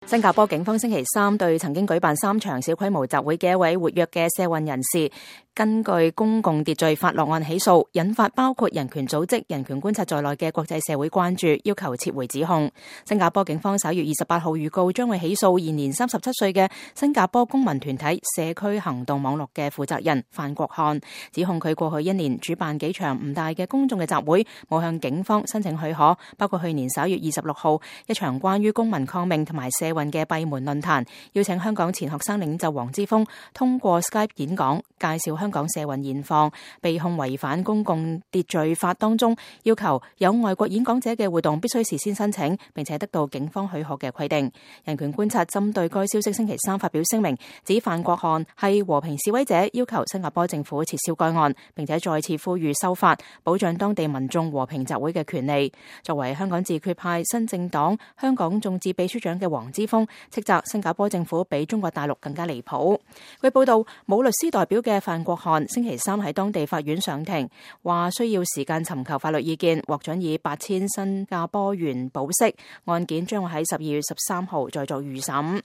新加坡警方星期三對曾經舉辦3場小規模集會嘅一位活躍嘅社運人士，根據公共秩序法落案起訴，引發包括人權組織人權觀察在內嘅國際社會關注，要求撤回指控。新加坡警方9月28號預告將會起訴現年37歲嘅新加坡公民團體社區行動網絡嘅負責人范國漢，指控佢過去1年主辦幾場唔大嘅公眾嘅集會，冇向警方申請許可，包括去年11月26號一場關於公民抗命同埋社運嘅閉門論壇，邀請香港前學生領袖黃之鋒通過 Skype 演講，介紹香港社運現況，被控違反公共秩序法當中要求有外國演講者嘅活動必須事先申請並且得到警方許可嘅規定。人權觀察針對該消息星期三發表聲明，指范國漢係和平示威者，要求新加坡政府撤銷該案，並且再次呼籲修法，保障當地民眾和平集會嘅權利。作為香港自決派新政黨香港眾志秘書長嘅黃之鋒斥責新加坡政府比中國大陸更加離譜。據報道，冇律師代表嘅范國漢星期三喺當地法院上庭，話需要時間尋求法律意見，獲准以8000新加坡元保釋，案件將會喺12月13號再做預審。